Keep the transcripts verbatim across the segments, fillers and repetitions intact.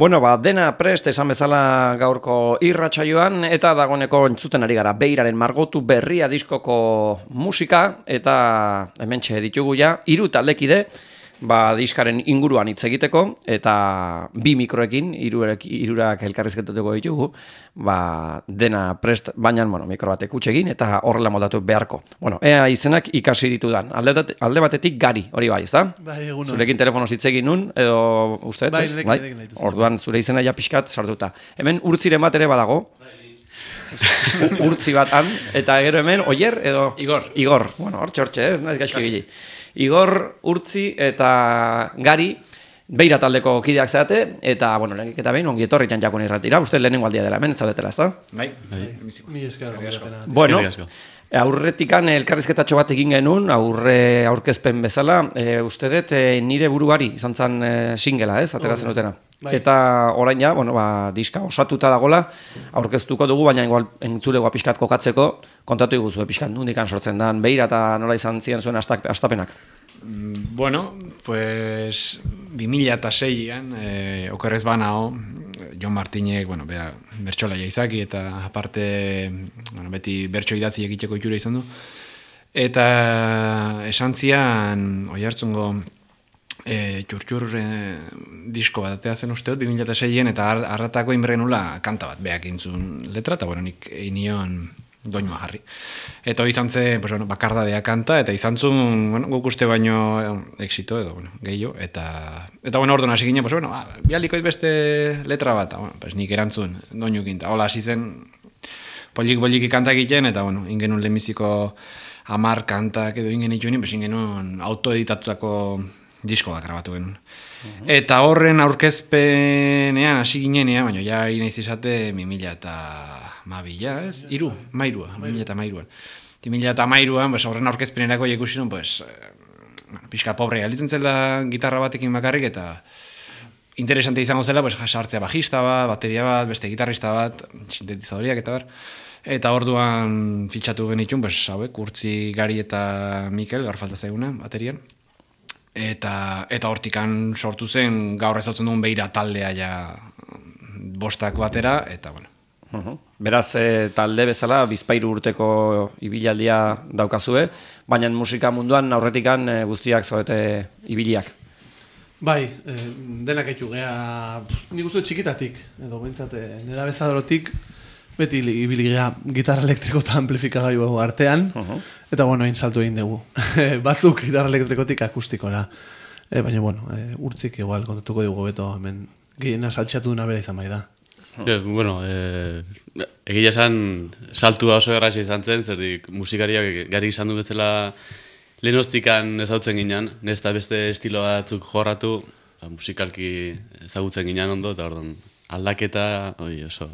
Bueno, ba, dena prest esan bezala gaurko irratsaioan eta dagoeneko entzuten ari gara Beiraren margotu berria diskoko musika eta hementxe ditugu ja hiru taldekide ba, diskaren inguruan hitz egiteko eta bi mikroekin hirurak hirurak elkarrizketatuko ditugu, ba, dena prest baina bueno, mikro batek huts egin eta horrela moldatu beharko. Bueno, ea izenak ikasi ditudan. Alde, alde batetik Gari, hori bai, ezta? Bai, egun. Zurekin telefonoz hitz egin nun edo uste bai, ez? bai, Bai. Orduan zure izena ja pixkat sartuta. Hemen Urtziren bat ere badago. Urtzi bat han eta gero hemen Oier edo Igor. Igor. Bueno, hortxe hortxe, ez naiz gaizki ibili. Igor, Urtzi eta Gari Beira taldeko kideak zarete eta bueno, lehenik eta behin ongi etorri Jakun irratira. Uste lehenengo aldia dela hemen zaudetela, ezta? Bai. Mi esker. Bueno, aurretikan elkarrizketatxo bat egin genuen, aurre aurkezpen bezala, e, uste dut e, nire buruari izan zen e, singela, ez, atera zenutena. Bai. Eta orain ja, bueno, ba, diska osatuta dagola, aurkeztuko dugu, baina igual entzulegoa pixkat kokatzeko, kontatu iguzu, pixkat nundikan sortzen dan, Beira eta nola izan ziren zuen astapenak. Bueno, pues bi mila seian, eh, okerrez banao, Jon Martinek, bueno, bea, bertsolaia izaki eta aparte, bueno, beti bertso idatzi egiteko itxura izan du. Eta esan zian, oi hartzungo, e, txur-txur e, disko bat atea zen usteot, bi mila seian, eta harratako inbrenula kanta bat beak intzun letra, eta bueno, nik inion doinua jarri. Eta hori izan zen, pues, bueno, bakardadea kanta, eta izan zuen, bueno, guk uste baino exito edo, bueno, gehiago, eta, eta bueno, orduan hasi ginen, pues, bueno, ah, bialikoit beste letra bat, bueno, pues, nik erantzun, doinukin, eta hola, hasi zen, polik-poliki kanta egiten, eta, bueno, ingenun lehenbiziko hamar kantak edo ingen itunin, pues, ingenun autoeditatutako disko bat grabatu genuen. Uh-huh. Eta horren aurkezpenean hasi ginenean, baina ja ari naiz izate mi mila eta mabila, ez? Iru, mairua, mi mila eta mairuan. Mi mila eta mairuan, pues, horren aurkezpenerako ikusi nun, pues, eh, pixka pobre galitzen zela gitarra batekin bakarrik, eta interesante izango zela, pues, sartzea bajista bat, bateria bat, beste gitarrista bat, sintetizadoriak eta bar. Eta orduan fitxatu genitun, pues, hauek, Urtzi, Gari eta Mikel, gaur falta zaiguna, baterian. Eta, eta hortikan sortu zen gaur ezautzen duen Beira taldea ja bostak batera, eta bueno. Uh-huh. Beraz, e, talde bezala, bizpairu urteko ibilaldia daukazue, baina musika munduan aurretikan e, guztiak zaudete ibiliak. Bai, e, denak eitu gea, nik uste txikitatik, edo bintzat, nera bezadorotik, beti ibili gea gitarra elektriko eta amplifikagailu artean, uh-huh. Eta bueno, hain saltu egin dugu. Batzuk gitarra elektrikotik akustikora. E, baina bueno, e, Urtzik igual kontatuko dugu beto, hemen gehiena saltxatu duna bera izan bai da. Uh-huh. Bueno, eh, egia esan saltua oso errazi izan zen, zerdik musikariak Gari izan du bezala lehenoztikan ezautzen ginen, nesta beste estilo batzuk jorratu, ba, musikalki ezagutzen ginen ondo, eta orduan aldaketa oi, oso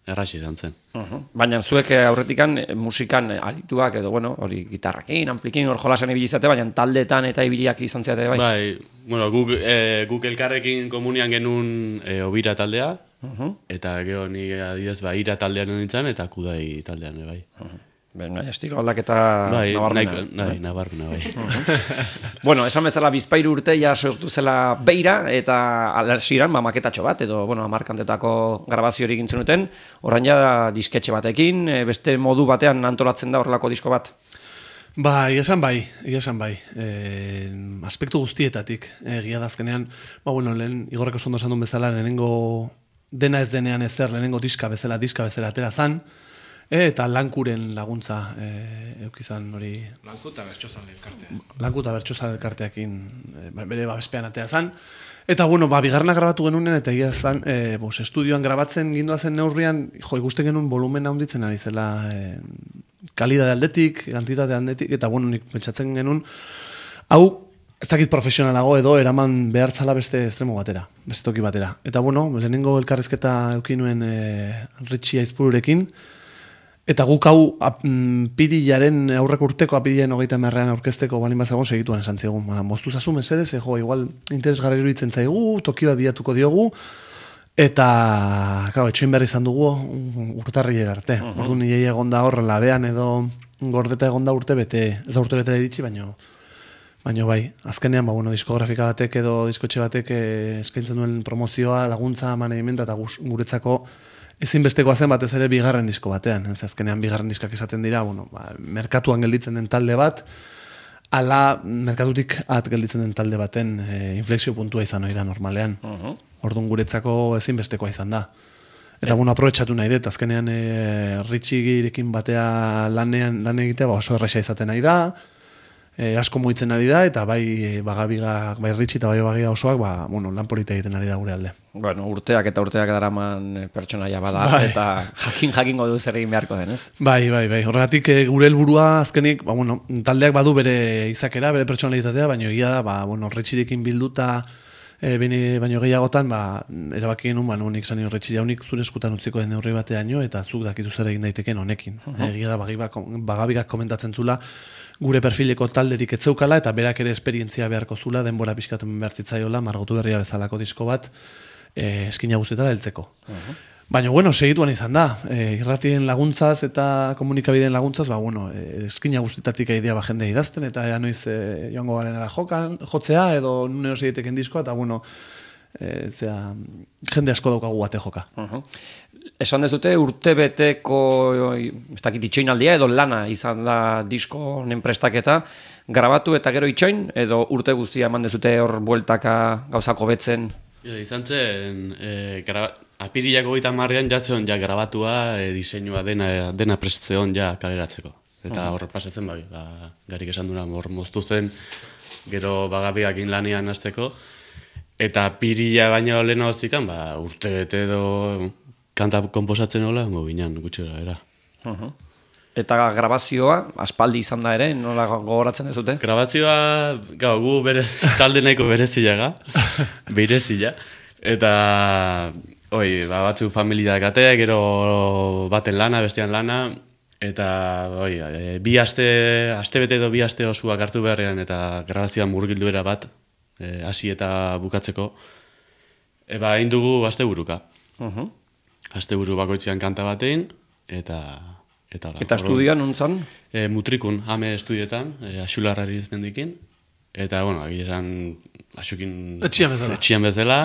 errazi izan zen. Uh-huh. Baina zuek aurretikan musikan adituak edo, bueno, hori gitarrakin, amplikin, hor jolasan ibili izate, baina taldeetan eta ibiliak izan ziate, bai? Bai, bueno, guk, e, guk elkarrekin komunian genuen e, Obira taldea, uh-huh. Eta gero ni adibidez, ba, Ira taldean nintzen, eta Kudai taldean, bai. Uh-huh. Ben, nahi, estilo aldaketa bai, nabarmena. Bai, bai, nabarmena, bai. Uh-huh. Bueno, esan bezala bizpairu urte ja sortu zela Beira, eta alersiran, ba, maketatxo bat, edo, bueno, amarkantetako grabazio hori gintzen duten, orain ja disketxe batekin, beste modu batean antolatzen da horrelako disko bat. Ba, esan bai, esan bai. E, aspektu guztietatik, egia dazkenean, ba, bueno, lehen, Igorrek oso ondo esan duen bezala, lehenengo dena ez denean ezer, lehenengo diska bezala, diska bezala atera zan, e, eta lankuren laguntza e, eukizan hori... Lanku eta bertxozale elkartea. Lanku eta bertxozale elkarteakin e, bere babespean atera zan. Eta, bueno, ba, bigarna grabatu genunen, eta egia zan, e, bos, estudioan grabatzen gindoa zen neurrian, jo, ikusten genuen volumen handitzen ari zela... E, kalidade aldetik, kantitate aldetik, eta bueno, nik pentsatzen genuen, hau, ez dakit profesionalago edo, eraman behartzala beste estremo batera, beste toki batera. Eta bueno, lehenengo elkarrizketa eukinuen e, Ritxi Aizpururekin, eta guk hau apirilaren, aurreko urteko apirilen hogeita merrean aurkezteko balin bazagon segituan esan zigun. Moztu zazu mesedez, e, jo, igual interesgarri iruditzen zaigu, toki bat bilatuko diogu, eta, claro, etxoin berri izan dugu urtarrilera arte. Uh-huh. Ordu nilei egon da hor labean edo gordeta egon da urte bete, ez da urte bete iritsi, baina Baina bai, azkenean, ba, bueno, diskografika batek edo diskotxe batek eh, eskaintzen duen promozioa, laguntza, manejimenta eta guz- guretzako ezinbestekoa zen batez ere bigarren disko batean. Ez, azkenean bigarren diskak esaten dira, bueno, ba, merkatuan gelditzen den talde bat, ala merkatutik at gelditzen den talde baten e, inflexio puntua izan ohi da normalean. Uh-huh. Orduan guretzako ezinbestekoa izan da. Eta bueno, aprobetxatu nahi dut, azkenean e, Ritxigirekin batea lanean lan egitea ba, oso erresa izaten nahi da, e, asko mugitzen ari da, eta bai bagabiga, bai Ritxi eta bai bagabiga osoak, ba, bueno, lan polita egiten ari da gure alde. Bueno, urteak eta urteak daraman pertsonaia bada, Bai. eta jakin jakingo du zer egin beharko den, ez? Bai, bai, bai. Horregatik e, gure helburua azkenik, ba, bueno, taldeak badu bere izakera, bere pertsonalitatea, baina egia da, ba, bueno, Ritxirekin bilduta, e, bene, baino gehiagotan, ba, erabaki genuen, ba, nik zan Ritxi jaunik zure eskutan utziko den neurri bateaino, eta zuk dakizu zer egin daiteken honekin. Uh -huh. Egia da, bagibak, bagabikak komentatzen zula, gure perfileko talderik etzeukala, eta berak ere esperientzia beharko zula, denbora pixkaten behar zitzaiola, Margotu berria bezalako disko bat, e, eskina guztietara heltzeko. Uh-huh. Baina, bueno, segituan izan da. E, irratien laguntzaz eta komunikabideen laguntzaz, ba, bueno, e, eskina guztietatik idea ba jende idazten, eta ea noiz e, joango garenara jokan, jotzea, edo nune oso egiteken diskoa, eta, bueno, e, zera, jende asko daukagu bate joka. Uh-huh. Esan dezute urtebeteko, ez dakit itxoinaldia edo lana izan da disko honen prestaketa, grabatu eta gero itxoin, edo urte guztia eman dezute hor bueltaka gauzako betzen? Ja, izan zen, e, graba, apirilako gita marrean jatzeon ja grabatua, e, diseinua dena, dena prestzeon ja kaleratzeko. Eta hor pasatzen bai, ba, garik esan duna hor moztu zen, gero bagabiakin lanean hasteko. Eta apirila baina lehen hoztikan, ba, urte bete edo kanta komposatzen hola, go binan gutxera era. Uh-huh. Eta grabazioa, aspaldi izan da ere, nola gogoratzen dezute? Grabazioa, gau, gu berez, talde nahiko berezia ga, berezia. Eta, oi, ba, batzu familia dakatea, gero baten lana, bestean lana, eta, oi, e, bi aste, aste bete edo bi aste osuak hartu beharrean, eta grabazioa murgilduera bat, e, hasi eta bukatzeko, eba, hain dugu asteburuka. Uh-huh. Asteburu bakoitzean kanta batein, eta... Eta, eta estudioan nuntzan? E, mutrikun, hame estudioetan, e, Axularrari izmendikin. Eta, bueno, agi esan, Axukin... Etxian bezala. Etxian bezala.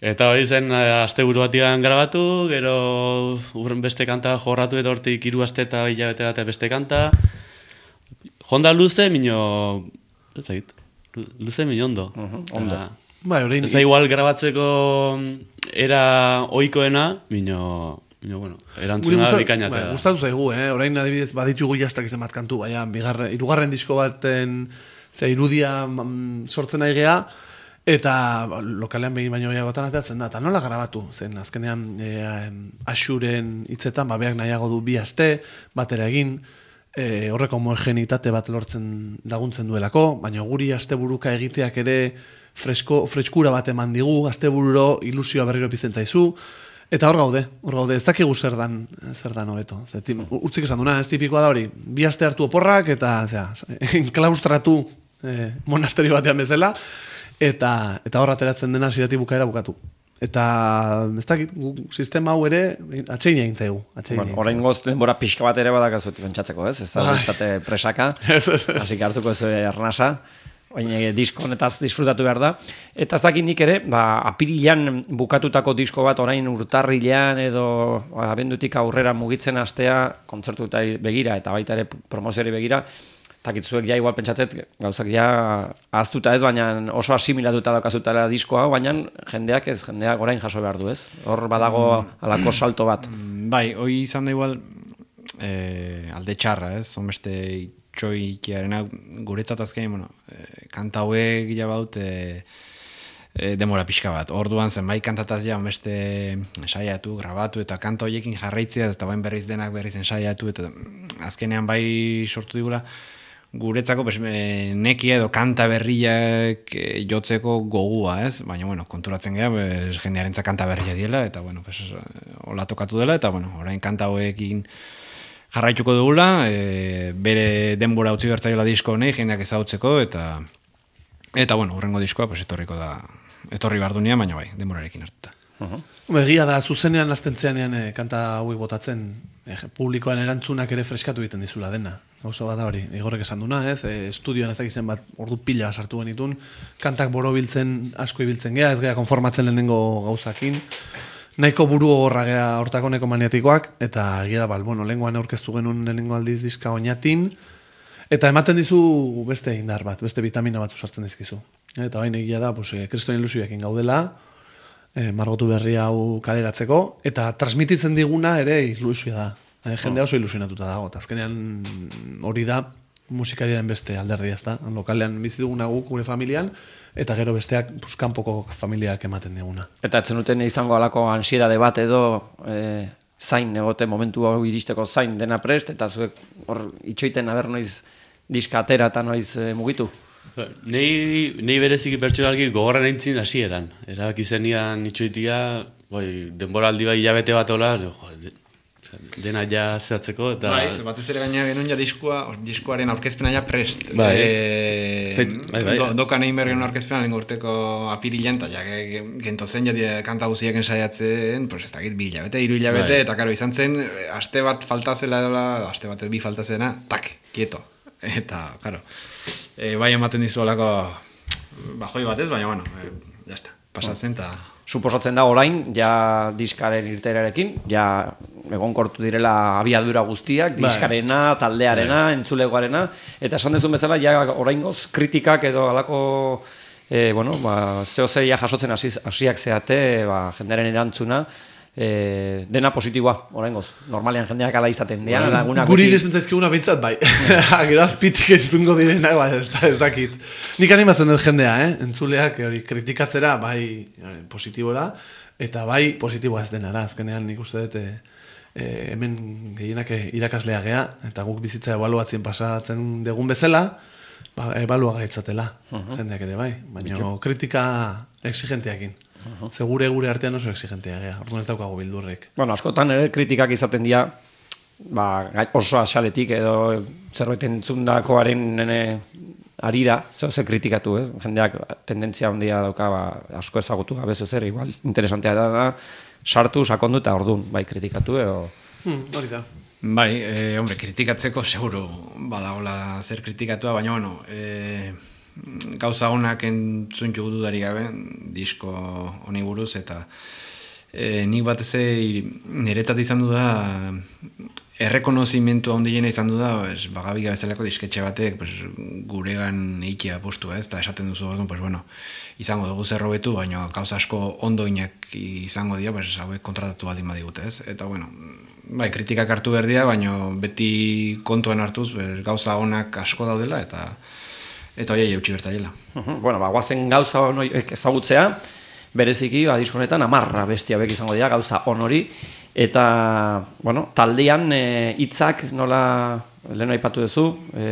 Eta hori zen, asteburu batian grabatu, gero urren beste kanta jorratu, eta hortik hiru aste eta hilabete bat beste kanta. Honda luze, mino... Ez dakit, luze mino ondo. Uh-huh, ondo. Eta, Bai, orain... ez da igual grabatzeko era ohikoena, mino... Mino, bueno, erantzuna bikainatea bai, da. gustatu zaigu, eh? Orain adibidez baditugu jastak izan bat kantu, baina bigarren, hirugarren disko baten ze irudia mm, sortzen nahi gea, eta lokalean begin baino gehiagotan ateratzen da, eta nola grabatu, zen azkenean e, Axuren hitzetan, ba, beak nahiago du bi aste, batera egin, e, horreko homogenitate bat lortzen laguntzen duelako, baina guri asteburuka egiteak ere fresko, freskura bat eman digu, astebururo ilusioa berriro pizten zaizu. Eta hor gaude, hor gaude, ez dakigu zer dan, zer dan hobeto. Utzik esan duna, ez tipikoa da hori, bi aste hartu oporrak, eta zera, enklaustratu eh, monasterio batean bezala, eta eta hor ateratzen dena sirati bukaera bukatu. Eta ez dakit, sistema hau ere, atxeina egin zaigu. Bueno, orain goz denbora pixka bat ere badakazut pentsatzeko, ez? Ez da bintzate presaka, hasi hartuko ez ernasa. Oine disko honetaz disfrutatu behar da. Eta ez dakit nik ere, ba, apirilan bukatutako disko bat orain urtarrilean edo ba, abendutik aurrera mugitzen hastea kontzertu begira eta baita ere promozioari begira, takitzuek ja igual pentsatzet gauzak ja ahaztuta ez, baina oso asimilatuta daukazutela diskoa, baina jendeak ez, jendeak orain jaso behar du ez. Hor badago alako salto bat. Bai, hoi izan da igual eh, alde txarra ez, onbeste txoikiarena guretzat azkenean, bueno, e, kanta hauek gila baut e, e, demora pixka bat. Orduan zen bai kantataz ja beste ensaiatu, grabatu eta kanta horiekin jarraitzea eta bain berriz denak berriz ensaiatu eta azkenean bai sortu digula guretzako pues, e, nekia edo kanta berriak e, jotzeko gogua, ez? Baina, bueno, konturatzen geha, pues, jendearentza kanta berria diela eta, bueno, pues, hola tokatu dela eta, bueno, orain kanta hauekin jarraituko dugula, e, bere denbora utzi bertzaiola disko honei, jendeak ezautzeko, eta, eta bueno, urrengo diskoa, pues, etorriko da, etorri bardunia, baina bai, denborarekin hartuta. Uh-huh. Egia da, zuzenean lastentzeanean e, kanta hauek botatzen, e, publikoan erantzunak ere freskatu egiten dizula dena. Gauza bada hori, Igorrek esan duna, ez? E, estudioan ezak izen bat ordu pila sartu genitun, kantak borobiltzen, asko ibiltzen gea, ez gea konformatzen lehenengo gauzakin. Nahiko buru horra gea hortako neko maniatikoak, eta egia da, bal, bueno, lenguan aurkeztu genuen lehenengo aldiz diska oinatin, eta ematen dizu beste indar bat, beste vitamina batzu sartzen dizkizu. Eta baina egia da, pues, kriston ilusioekin gaudela, E, margotu berri hau kaleratzeko, eta transmititzen diguna ere ilusioa da. E, jende oso ilusionatuta dago, eta azkenean hori da musikariaren beste alderdi, ez da? Lokalean bizi duguna guk gure familian, eta gero besteak pues, kanpoko familiak ematen diguna. Eta etzen duten izango alako ansiedade bat edo e, zain egote momentu hau iristeko zain dena prest, eta zuek hor itxoiten aber noiz diska atera eta noiz e, mugitu? Nei, nei bereziki pertsonalki gogorra nahintzin hasieran. Erabaki zenian itxoitia, bai, denboraldi bai hilabete bat ola, jo, de, dena ja zehatzeko. Eta... Bai, ze batez ere gaina genuen ja diskua, diskuaren aurkezpena ja prest. Bai, e, Fet, bai, bai. Do, dokan egin behar genuen aurkezpena lehen urteko apirilean, eta ja, gentozen ja kanta guziak ensaiatzen, pues ez dakit bi hilabete, hiru hilabete, bai. Eta karo izan zen, aste bat faltazela edola, aste bat bi faltazena, tak, kieto. Eta, karo, e, bai ematen dizu olako bajoi batez, baina, bueno, e, jazta, pasatzen eta... Suposatzen da orain, ja diskaren irterarekin, ja egonkortu direla abiadura guztiak, diskarena, taldearena, bai. Entzulegoarena, eta esan dezun bezala, ja oraingoz kritikak edo alako, e, bueno, ba, zehozeia jasotzen hasiak zeate, ba, jendearen erantzuna, E, dena positiboa, oraingoz. Normalean jendeak ala izaten dira. Bueno, guri irezen zaizkiguna bintzat bai. Gero azpitik entzungo direnak, bai, ez, ez dakit. Nik animatzen dut jendea, eh? Entzuleak hori kritikatzera, bai positibora, eta bai positiboa ez denara. Azkenean nik uste dut e, e, hemen gehienak irakaslea gea, eta guk bizitza ebaluatzen pasatzen degun bezala, ba, ebalua gaitzatela, uh-huh. Jendeak ere bai. Baina Bitu. Kritika exigenteakin. Uh-huh. Segure gure artean oso exigentea gea, orduan ez daukago bildurrek. Bueno, askotan ere kritikak izaten dira, ba, oso asaletik edo zerbait entzundakoaren nene arira, zeu ze kritikatu, eh? Jendeak tendentzia handia dauka, ba, asko ezagutu gabe zer, igual, interesantea da, da, sartu, sakondu eta orduan, bai, kritikatu edo... Hmm, hori da. Bai, eh, hombre, kritikatzeko seguru badagola zer kritikatua, baina, bueno, eh, gauza honak entzun jugu dudari gabe, disko honi buruz, eta e, nik batez niretzat izan du da, errekonozimentu handiena izan du da, es, bagabiga bezalako disketxe batek pues, guregan eikia postua, ez, eta esaten duzu orduan, pues, bueno, izango dugu zerrobetu, baina gauza asko ondoinak izango dira, pues, hauek kontratatu baldin badigute, ez, eta bueno, bai, kritikak hartu behar dira, baina beti kontuan hartuz, pues, gauza honak asko daudela, eta eta hori eutxi bertzaiela. Uh-huh. Bueno, ba, guazen gauza honoiek ezagutzea, bereziki, ba, diskonetan, amarra bestia bek izango dira, gauza honori, eta, bueno, taldean hitzak e, nola, leheno aipatu duzu, e,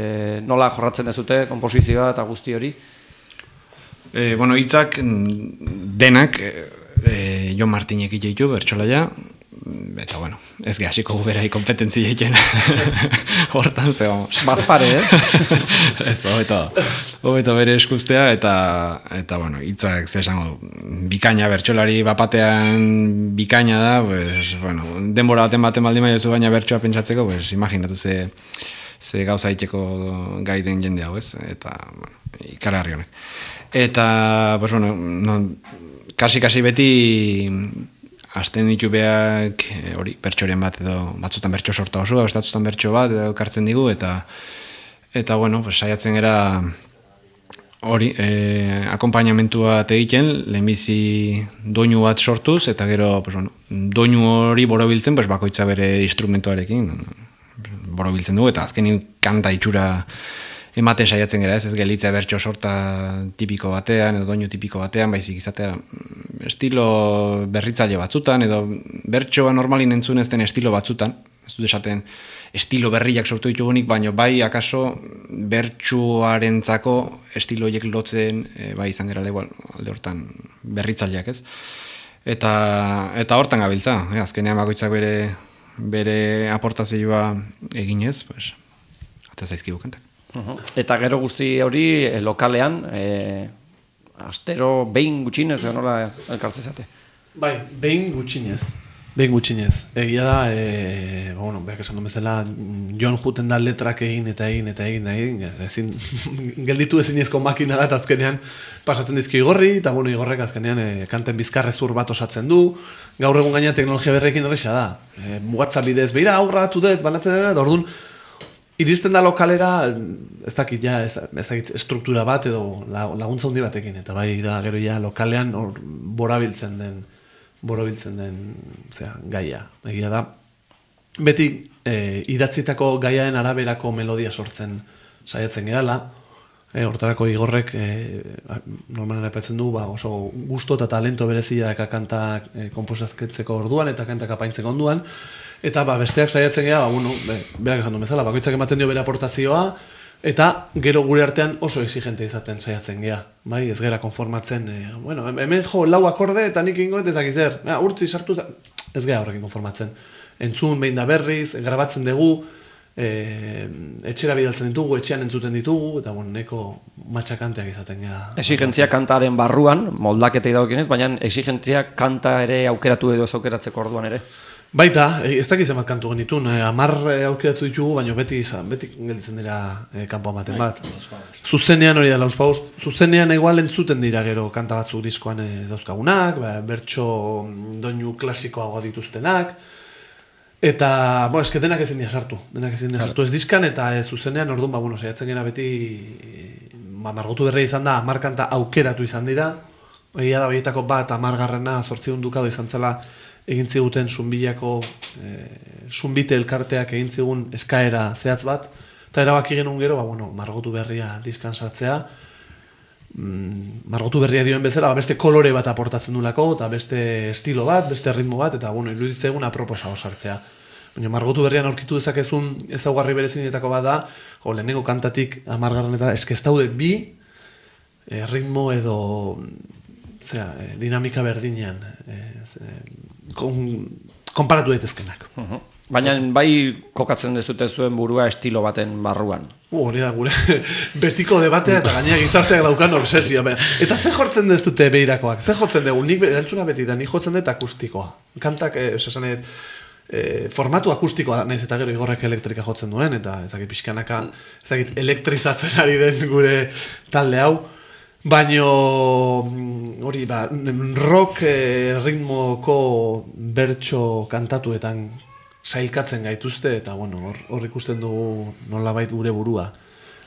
nola jorratzen dezute, komposizioa eta guzti hori? E, bueno, hitzak denak, e, Jon Martinek itxeitu, bertxolaia, eta bueno, ez gehasiko guberai kompetentzia egiten hortan ze, vamos. Bazpare, ez? Ez, hobeto, hobeto bere eskustea, eta, eta bueno, hitzak ze esango, bikaina bertsolari bapatean bikaina da, pues, bueno, denbora baten baten baldin maiozu baina bertsoa pentsatzeko, pues, imaginatu ze, ze gauza itxeko gai den jende hau, ez? Eta, bueno, ikaragarri honek. Eta, pues, bueno, no, kasi-kasi beti hasten ditu beak hori bertsoren bat edo batzutan bertso sorta oso, batzutan bertso bat edo ekartzen digu, eta eta bueno, pues saiatzen gera hori eh akonpainamentua egiten, lehenbizi doinu bat sortuz, eta gero pues bueno, doinu hori borobiltzen, pues bakoitza bere instrumentuarekin borobiltzen dugu, eta azkenin kanta itxura ematen saiatzen gara, ez ez gelitza bertso sorta tipiko batean, edo doinu tipiko batean, baizik izatea estilo berritzaile batzutan, edo bertsoa normalin entzun ez den estilo batzutan, ez dut esaten estilo berriak sortu ditugunik, baina bai akaso bertsuarentzako estilo horiek lotzen, e, bai izan gara legual, alde hortan berritzaileak, ez? Eta, eta hortan gabiltza, e, azkenean bakoitzak bere, bere aportazioa eginez, pues, eta zaizkigu kantak. Uh-huh. Eta gero guzti hori e, lokalean, e, astero behin gutxinez nola elkartzezate? Bai, behin gutxinez. Behin gutxinez. Egia da, e, bueno, behak esan du bezala, Jon juten da letrak egin eta egin eta egin, egin ezin, gelditu ezinezko makina da, eta azkenean pasatzen dizki igorri, eta bueno, igorrek azkenean e, kanten bizkarrezur bat osatzen du. Gaur egun gaina teknologia berrekin horreixa da. E, WhatsApp bidez, behira, aurra atu dut, banatzen dena, eta orduan, iristen da lokalera, ez dakit, ja, ez, ez dakit struktura bat edo laguntza hundi batekin, eta bai da gero ja lokalean or, borabiltzen den, borobiltzen den zera, gaia. Egia da, beti e, idatzitako gaiaen araberako melodia sortzen saiatzen gerala, e, hortarako igorrek e, normalan epetzen du ba, oso gusto eta talento berezia daka kantak e, konposazketzeko orduan eta kantak apaintzeko onduan, eta ba, besteak saiatzen gara, ba, bueno, be, berak esan du bezala, bakoitzak ematen dio bere aportazioa, eta gero gure artean oso exigente izaten saiatzen gea, bai, ez gera konformatzen, e, bueno, hemen jo, lau akorde eta nik ingo eta ezakizer, ja, urtzi sartu, ez gea horrekin konformatzen. Entzun, behin da berriz, grabatzen dugu, e, etxera bidaltzen ditugu, etxean entzuten ditugu, eta bueno, neko matxakanteak izaten gea. Exigentzia kantaren barruan, moldaketei dagokienez, baina exigentzia kanta ere aukeratu edo ez aukeratzeko orduan ere. Baita, ez dakiz emat kantu genitun, eh, amar eh, aukeratu ditugu, baina beti izan, beti gelditzen dira eh, kanpo amaten bat. Zuzenean hori da, lauspauz, zuzenean egual entzuten dira gero kanta batzuk diskoan ez dauzkagunak, ba, bertso doinu klasikoagoa dituztenak, eta, bo, eske denak ezin dira sartu, denak ezin dira sartu ez diskan, eta ez zuzenean orduan, ba, bueno, saiatzen gena beti, ba, margotu berria izan da, amar kanta aukeratu izan dira, egia da horietako bat, amargarrena, zortziehun dukado izan zela, egin ziguten Zunbilako e, Zunbite elkarteak egin zigun eskaera zehatz bat, eta erabaki genuen gero, ba, bueno, margotu berria diskan sartzea, mm, margotu berria dioen bezala, ba, beste kolore bat aportatzen dulako, eta beste estilo bat, beste ritmo bat, eta bueno, iruditzen aproposa sartzea. Baina margotu berrian aurkitu dezakezun ezaugarri berezinetako bat da, jo, lehenengo kantatik amargarren eta eske ez daude bi, e, ritmo edo zera, e, dinamika berdinean, e, e, kon, konparatu daitezkenak. Uh-huh. Baina bai kokatzen dezute zuen burua estilo baten barruan. Uh, hori da gure betiko debatea eta gainera gizarteak daukan obsesia. Eta ze jortzen dezute behirakoak? Ze jotzen dugu? Nik erantzuna beti da, nik jotzen dut akustikoa. Kantak, eh, esanet, eh, formatu akustikoa da, nahiz eta gero igorrek elektrika jotzen duen, eta ezakit pixkanaka, ezakit elektrizatzen ari den gure talde hau. Baino hori ba, rock e, ritmoko bertso kantatuetan sailkatzen gaituzte eta bueno, hor, hor ikusten dugu nolabait gure burua.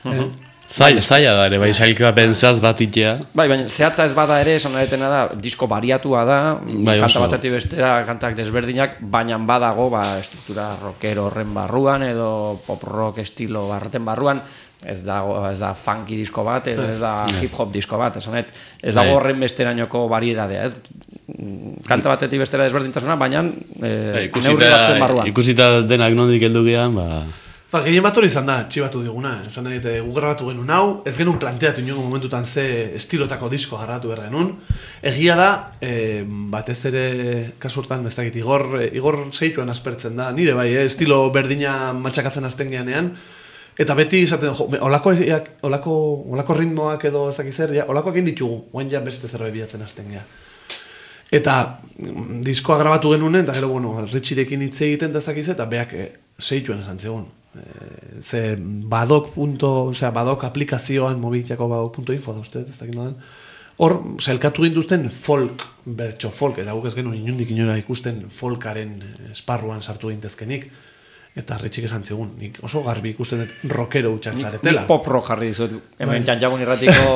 Uh-huh. eh? Zaila, zaila da ere, bai, sailkoa pentsaz bat itea. Bai, baina zehatza ez bada ere, esan nahetena da, disko bariatua da, bai, kanta batetik bestera, kantak desberdinak, baina badago, ba, estruktura rockero horren barruan, edo pop rock estilo barreten barruan, ez da, ez da funky disko bat, edo ez da hip hop disko bat, esan nahet, ez dago horren besterainoko variedadea, ez? Kanta batetik bestera desberdintasuna, baina e, neurri batzuen barruan. Ikusita denak nondik heldu gehan, ba... Ba, gehien bat hori izan da, txibatu diguna, esan nahi, gu grabatu genuen hau, ez genuen planteatu inongo momentutan ze estilotako disko grabatu behar genuen. Egia da, e, batez ere kasurtan, ez dakit, Igor, Igor zeituan aspertzen da, nire bai, eh, estilo berdina matxakatzen azten geanean, eta beti izaten, jo, olako, olako, olako ritmoak edo ez dakit zer, ja, olakoak egin ditugu, oain ja beste zerbait bilatzen azten gean. Eta diskoa grabatu genuen, eta gero, bueno, Richirekin hitz egiten da ez dakit, eta beak e, zeituan esan zegoen. Ze badok punto, osea, badok aplikazioan mobilitako badok punto info da uste, ez dakit nodan. Hor, sailkatu ginduzten folk, bertso folk, eta guk ez genuen inundik inora ikusten folkaren esparruan sartu gintezkenik. Eta Ritxik esan zigun, nik oso garbi ikusten dut rockero utxak zaretela. Nik pop rock jarri dizut, hemen txantxagun irratiko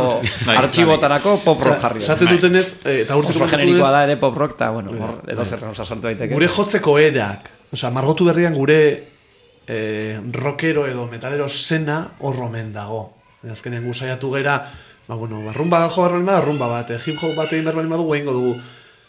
artxibotarako pop rock jarri. Zaten dutenez, eta urte oso generikoa da ere pop rock, eta bueno, hor, edo zer gauza sartu daiteke. Gure jotzeko erak, osea, margotu berrian gure Eh, rockero edo metalero zena hor omen dago. Azkenean gu saiatu gera, ba, bueno, ba, rumba jo behar balima da, rumba bat, eh, hip hop bat egin behar balima dugu, egingo dugu.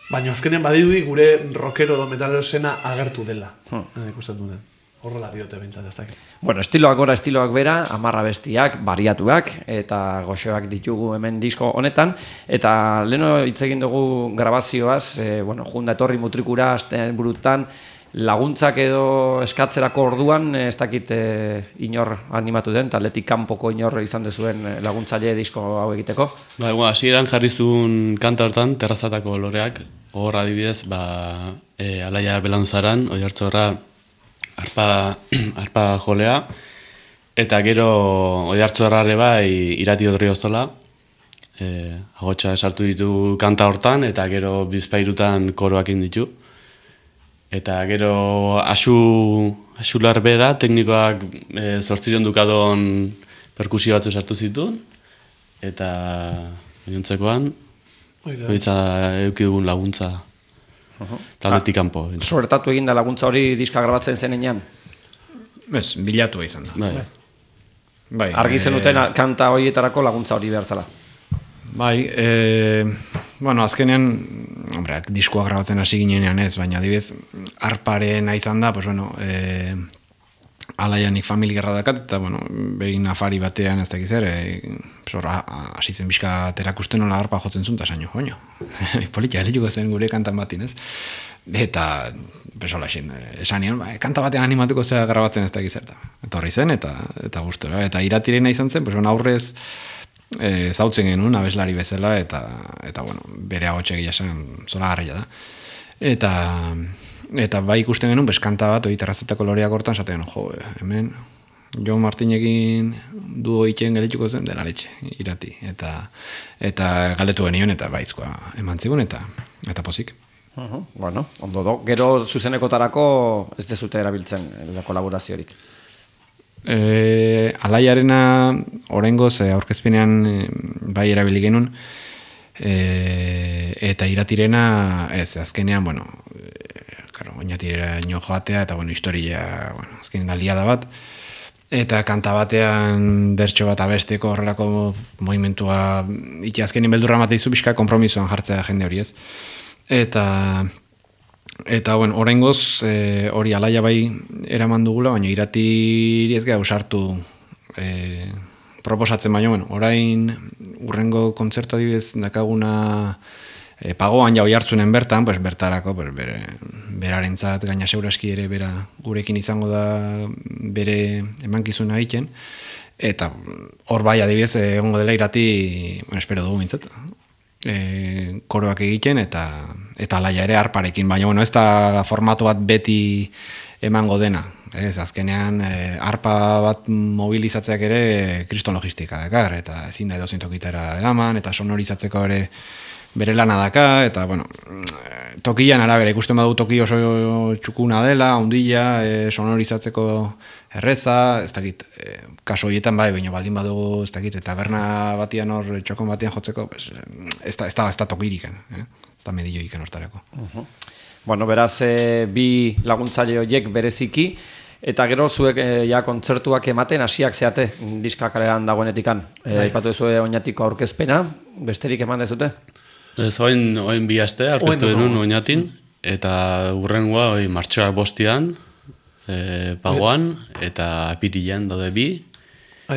Baina azkenean badirudi gure rockero edo metalero zena agertu dela. Hmm. Eh, ikusten duen. Horrela diote behintzat ez dakit. Bueno, estiloak gora, estiloak bera, amarra bestiak, bariatuak, eta goxoak ditugu hemen disko honetan. Eta leno hitz egin dugu grabazioaz, e, bueno, junda etorri mutrikura, astean burutan, laguntzak edo eskatzerako orduan, ez dakit e, inor animatu den, taletik kanpoko inor izan dezuen laguntzaile disko hau egiteko? Ba, bueno, hasieran jarri zuen kanta hortan, terrazatako loreak, hor adibidez, ba, e, Alaia Belaunzaran, Oiartzorra arpa, arpa jolea, eta gero Oiartzorrare bai Irati Odriozola, e, agotxa esartu ditu kanta hortan, eta gero Bizpairutan koroakin ditu. Eta gero asu, asular bera, teknikoak e, zortziron dukadon perkusio batzu sartu zituen, eta gainontzekoan, hoitza eukidugun laguntza uh-huh. taletik kanpo. Suertatu egin da laguntza hori diska grabatzen zenean? Bez, bilatu izan da. Bai. Bai, Argi zenuten e... kanta horietarako laguntza hori behar zela? Bai, e, bueno, azkenean, hombre, diskoa grabatzen hasi ginenean ez, baina adibidez, arparena izan da, pues bueno, e, Alaianik familia dakat, eta bueno, behin afari batean ez dakiz ere, zorra, hasi zen bizka terakusten nola arpa jotzen zuen, eta saino, joño, politia, elituko zen gure kantan batin, ez? Eta, besola xin, esan nion, ba, kanta batean animatuko zea grabatzen ez dakiz eta horri zen, eta, eta gustora, eta iratirena izan zen, pues bueno, aurrez, E, zautzen genuen abeslari bezala eta eta bueno, bere agotxe egia esan zoragarria da. Eta eta bai ikusten genuen beskanta bat hori terrazatako loreak hortan esaten jo, hemen Jon Martinekin duo egiten gelituko zen dela letxe, irati. Eta eta galdetu genion eta baizkoa eman zigun eta eta pozik. Uh-huh. Bueno, ondo do. Gero zuzenekotarako ez dezute erabiltzen la kolaboraziorik. E, Alaiarena oraingoz e, aurkezpenean e, bai erabili genuen e, eta iratirena ez, azkenean, bueno, e, karo, oinatirera ino joatea eta bueno, historia, bueno, azkenean da liada bat eta kanta batean bertso bat abesteko horrelako movimentua iti azkenean beldurra mateizu bizka konpromisoan jartzea jende hori ez eta Eta, bueno, oraingoz e, hori Alaia bai eraman dugula, baina iratiri ez geha usartu e, proposatzen baina, bueno, orain urrengo kontzertu adibidez dakaguna e, pagoan jau jartzunen bertan, pues, bertarako pues, bere, berarentzat gaina seuraski ere bera gurekin izango da bere emankizuna egiten, eta hor bai adibidez egongo dela irati, bueno, espero dugu mintzat, e, koroak egiten eta eta Alaia ere arparekin, baina bueno, ez da formatu bat beti emango dena. Ez, azkenean e, arpa bat mobilizatzeak ere kriston logistika dakar, eta ezin da edozein tokitara eraman, eta sonorizatzeko ere bere lana daka, eta bueno, tokian arabera ikusten badu toki oso txukuna dela, ondila, e, sonorizatzeko erreza, ez dakit, e, kaso horietan bai, baina baldin badugu, ez dakit, taberna batian hor, txokon batian jotzeko, pues, ez da, ez da, ez da tokiriken, eh? Ez da medillo iken hortarako. Uh-huh. Bueno, beraz, e, bi laguntzaile horiek bereziki, eta gero zuek e, ja kontzertuak ematen hasiak zeate diskakalean dagoenetikan. E, Aipatu duzu oinatiko aurkezpena, besterik eman dezute? Ez, oin, oin bi aste, aurkeztu denun oinatin, eta urrengoa oin martxoak bostian, e, pagoan, eta apirilean daude bi.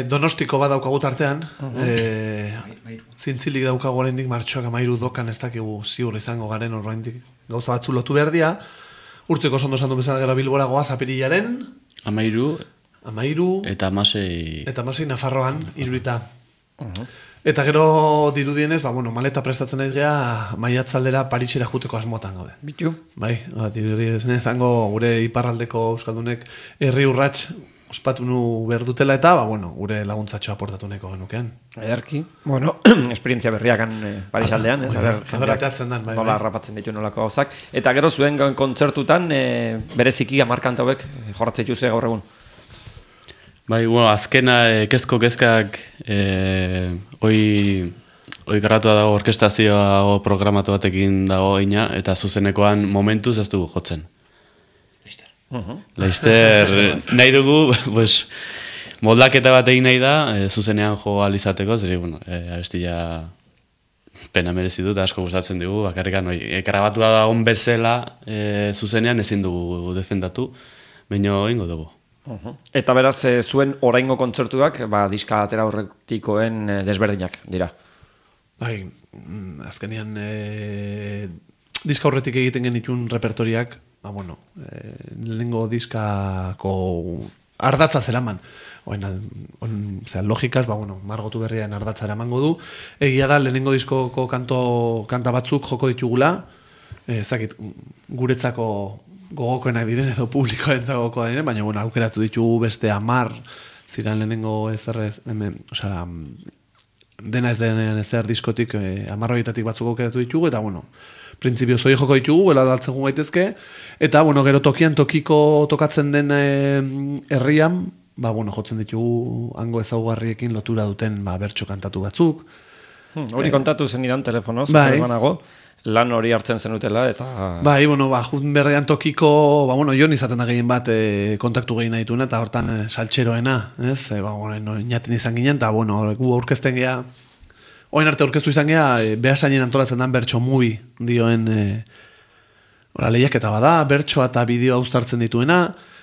Donostiko bat daukagut artean, uh-huh. e, zintzilik daukagu oraindik martxoak amairu dokan ez dakigu ziur izango garen oraindik gauza batzu lotu behar dia. Urtzeko sondo sandu bezala gero Bilbora goaz apirilaren. Amairu. Amairu. Eta amasei. Eta amasei Nafarroan, irurita. Uh-huh. Eta gero dirudienez, ba, bueno, maleta prestatzen nahi gea maiatzaldera Parisera juteko asmotan gaude. Bitu. Bai, ba, dirudienez zango gure iparraldeko euskaldunek herri urrats ospatu nu behar dutela eta, ba, bueno, gure laguntzatxo aportatu neko genukean. Ederki. Bueno, esperientzia berriakan eh, Parisaldean, ez? Aber, ateatzen dan, bai, nola bai. harrapatzen ditu nolako gauzak. Eta gero zuen kontzertutan, eh, bereziki amarkanta hauek jorratzen dituzue gaur egun. Bai, bueno, azkena e, kezko kezkak e, oi, oi garratua dago orkestazioa programatu batekin dago ina, eta zuzenekoan momentuz ez dugu jotzen. Leister. Uh-huh. Leister, nahi dugu, pues, moldaketa bat egin nahi da, e, zuzenean jo alizateko, zeri, bueno, e, abestia pena merezi dut, asko gustatzen dugu, bakarrikan, oi, e, grabatua da on bezala e, zuzenean ezin dugu defendatu, baina ingo dugu. Uh-huh. Eta beraz, e, zuen oraingo kontzertuak, ba, diska atera horretikoen e, desberdinak dira. Bai, azkenean e, diska horretik egiten genitun repertoriak ba, bueno, e, lehenengo diskako ardatza zeraman. Oen, on, zera, logikaz, ba, bueno, margotu berriaren ardatza eramango du. Egia da, lehenengo diskoko kanto, kanta batzuk joko ditugula, e, zakit, guretzako gogokoenak diren edo publikoentzako gogoko diren, baina bueno, aukeratu ditugu beste hamar ziren lehenengo ezerrez, hemen, osea, dena ez denean ezer diskotik eh, amarroietatik batzuk aukeratu ditugu, eta bueno, printzipio zoi joko ditugu, gela daltzen gu gaitezke, eta bueno, gero tokian tokiko tokatzen den eh, herrian, ba bueno, jotzen ditugu hango ezaugarriekin lotura duten ba, bertso kantatu batzuk. Hmm, hori eh, kontatu zen idan telefonoz, bai. Lan hori hartzen zenutela, eta... Bai, bueno, ba, juten berdean tokiko, ba, bueno, jon izaten da gehien bat e, kontaktu gehien nahituna, eta hortan e, saltxeroena, ez? E, ba, bueno, no, inaten izan ginen, eta, bueno, gu aurkezten geha, oin arte aurkeztu izan geha, e, behasainen antolatzen dan bertso movie dioen, e, ora, lehiaketa bada, bertsoa eta bideoa uztartzen dituena,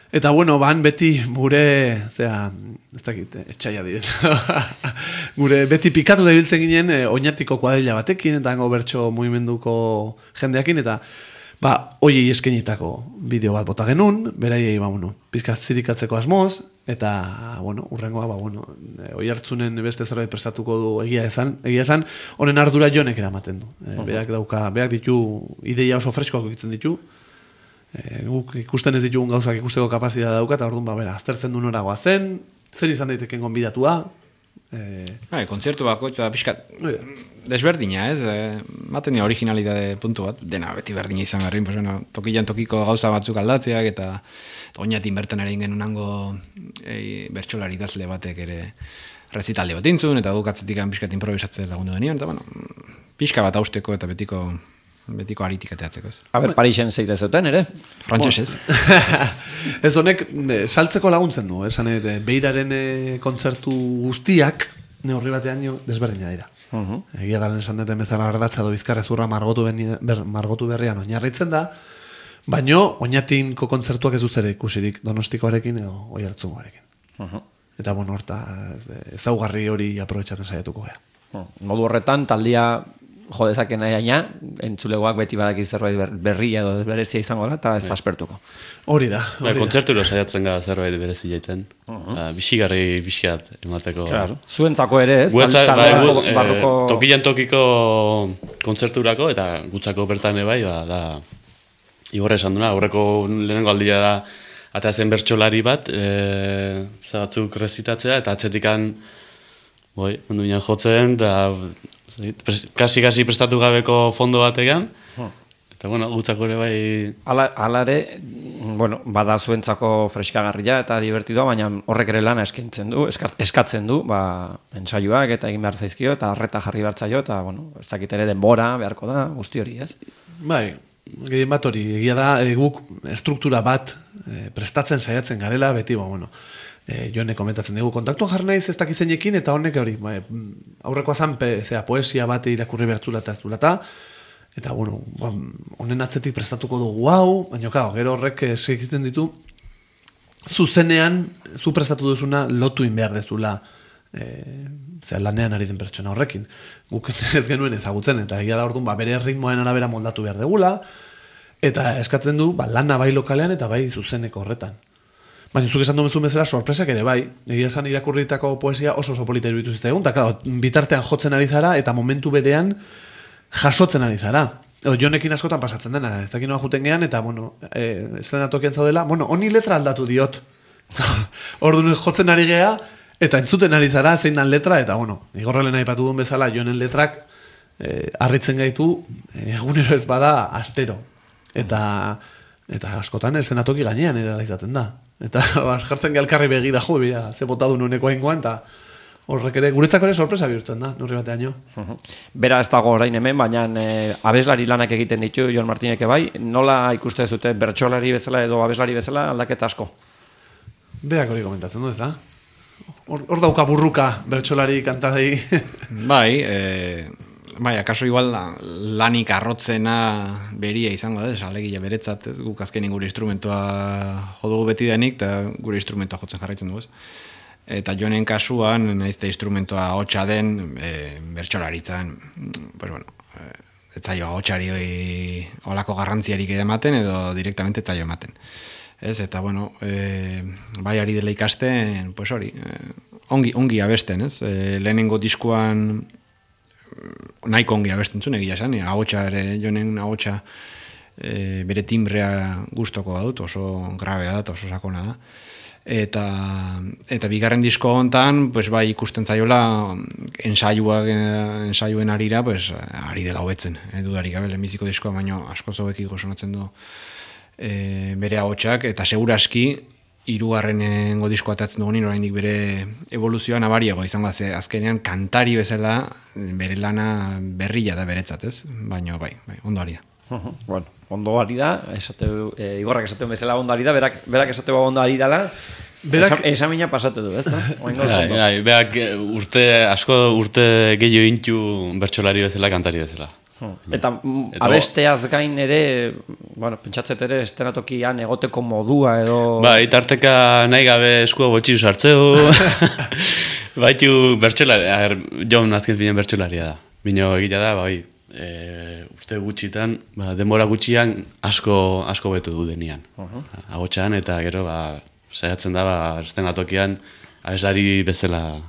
eta, bueno, ban beti gure, zera, ez dakit, etxaia diren, gure beti pikatu da ibiltzen ginen e, oinatiko kuadrilla batekin, eta hango bertso mugimenduko jendeakin, eta ba, oiei eskenitako bideo bat bota genuen, beraiei, ba, bueno, pizkat zirikatzeko asmoz, eta, bueno, urrengoa, ba, bueno, oi hartzunen beste zerbait prestatuko du egia esan, egia esan, honen ardura jonek eramaten du. E, berak dauka, berak ditu, ideia oso freskoak ikitzen ditu, e, guk ikusten ez ditugun gauzak ikusteko kapazitatea dauka, eta orduan, ba, bera, aztertzen du noragoa zen, zer izan daiteken gonbidatua. Eh... Bai, kontzertu bakoitza pixkat desberdina, ez? E, maten dira originalitate puntu bat, dena beti berdina izan garrin, pues, bueno, tokian tokiko gauza batzuk aldatzeak, eta oinatin bertan ere ingen unango e, bertsolari idazle batek ere rezitalde bat intzun, eta gukatzetik pixkat improvisatzen lagundu denien, eta bueno, pixka bat hausteko eta betiko betiko aritik ateatzeko, ez. A ber, Parisen zeite zuten, ere? Frantsesez. Ez honek, saltzeko laguntzen du, esan ere, Beiraren e, kontzertu guztiak, neurri batean jo, desberdina dira. Uh-huh. Egia dalen esan duten bezala ardatza do bizkarrezurra margotu, ber, margotu berrian oinarritzen da, baino, oinatinko kontzertuak ez duzere ikusirik Donostikoarekin edo Oiartzungoarekin. Uh-huh. Eta, bueno, horta, ezaugarri hori aprobetxatzen saiatuko gea. Uh-huh. Modu horretan, taldia jo dezaken aina, entzulegoak beti badaki zerbait berria edo berezia izango da, eta ez da aspertuko. Hori da. Bai, kontzerturo saiatzen gara zerbait berezi jaiten. Uh-huh. Uh, bisigarri bisiat emateko. Claro. Zuentzako ere, ez? Guetza, Tal, bai, barruko, gu, barruko... eh, tokian tokiko kontzerturako, eta gutzako bertan bai, ba, da, igorre esan duna, aurreko lehenengo aldia da, eta zen bertsolari bat, e, zabatzuk rezitatzea, eta atzetikan, boi, mundu binean jotzen, eta kasi-kasi prestatu gabeko fondo batean, eta, bueno, gutzako ere bai... Ala, ala ere, bueno, bada zuentzako freskagarria eta divertidua, baina horrek ere lana eskaintzen du, eskatzen du, ba, ensaioak eta egin behar zaizkio, eta arreta jarri behar zaio, eta, bueno, ez dakit ere denbora beharko da, guzti hori, ez? Bai, gehien bat hori, egia da, e, guk struktura bat e, prestatzen saiatzen garela, beti, ba, bueno, E, Jone komentatzen dugu, kontaktuan jarri naiz ez dakizenekin, eta honek hori, ba, aurrekoa zanpe, zera, poesia bat irakurri bertzula eta ez dulata, eta, bueno, ba, honen atzetik prestatuko dugu hau, baina, kao, gero horrek egiten ditu, zuzenean, zu prestatu duzuna, lotu in behar dezula, e, zera, lanean ari den pertsona horrekin. Guk ez genuen ezagutzen, eta egia da orduan, ba, bere ritmoen arabera moldatu behar degula, eta eskatzen du, ba, lana bai lokalean eta bai zuzeneko horretan. Baina zuk esan duen bezala sorpresak ere bai, egia esan irakurritako poesia oso oso polita iruditu zitzaigun, eta claro, bitartean jotzen ari zara eta momentu berean jasotzen ari zara. Edo Jonekin askotan pasatzen dena, ez dakin noa juten gehan, eta bueno, e, ez dena tokian zaudela, bueno, honi letra aldatu diot. Orduan jotzen ari gea, eta entzuten ari zara zein dan letra, eta bueno, igorrelen aipatu duen bezala, Jonen letrak e, harritzen gaitu, egunero ez bada astero. Eta, eta askotan ez dena toki gainean ere izaten da. Eta jartzen galkarri begira jo, bera, ze botadu nuneko haingoan, eta horrek ere, guretzako ere sorpresa bihurtzen da, nurri batean jo. Bera ez dago orain hemen, baina e, abeslari lanak egiten ditu, Jon Martineke bai, nola ikuste zute bertsolari bezala edo abeslari bezala aldaketa asko? Berak hori komentatzen du, ez da? Hor, hor dauka burruka bertsolari kantari. Bai, e, bai, akaso igual lanik arrotzena beria izango da, alegia beretzat, ez, guk azkenin gure instrumentoa jodugu beti denik, eta gure instrumentoa jotzen jarraitzen dugu, ez. Eta Jonen kasuan, naizte instrumentoa hotxa den, e, bertsolaritzan, pues bueno, e, ez zaio ahotsari olako garrantziarik ematen edo direktamente ez zaio ematen. Ez, eta bueno, e, bai ari dela ikasten, pues hori, e, ongi, ongi abesten, ez? E, lehenengo diskuan nahiko ongi abesten zuen, egia esan, ahotsa ere, jonen ahotsa e, bere timbrea gustoko badut, oso grabea da, oso sakona da. Eta, eta bigarren disko hontan, pues bai ikusten zaiola ensaiuak, ensaioen arira, pues ari dela hobetzen, eh, dudarik gabe, lehenbiziko diskoa baino asko zobeki gozonatzen du e, bere ahotsak, eta seguraski hirugarrenengo diskoa atatzen dugunin oraindik bere evoluzioa nabariago izango da, ze azkenean kantari bezala bere lana berria da beretzat, ez? Baina bai, bai, ondo ari da. Bueno, ondo ari da, esate, e, Igorrak esaten bezala ondo ari da, berak, berak esate ondo ari dala, berak... esamina pasate du, ez da? Bai, bai, berak urte, asko urte gehiago intu bertsolari bezala, kantari bezala. Eta, Eta abesteaz gain ere, bueno, pentsatzet ere estenatokian egoteko modua edo... Bai, tarteka nahi gabe eskua boltxiru sartzeu, baitu bertsolari, Jon azken finen bertsolaria da. Bino egia da, bai, e, urte gutxitan, ba, denbora gutxian asko asko betu du denian. Uh-huh. Agotxan eta gero, ba, saiatzen da, ba, estenatokian abeslari bezala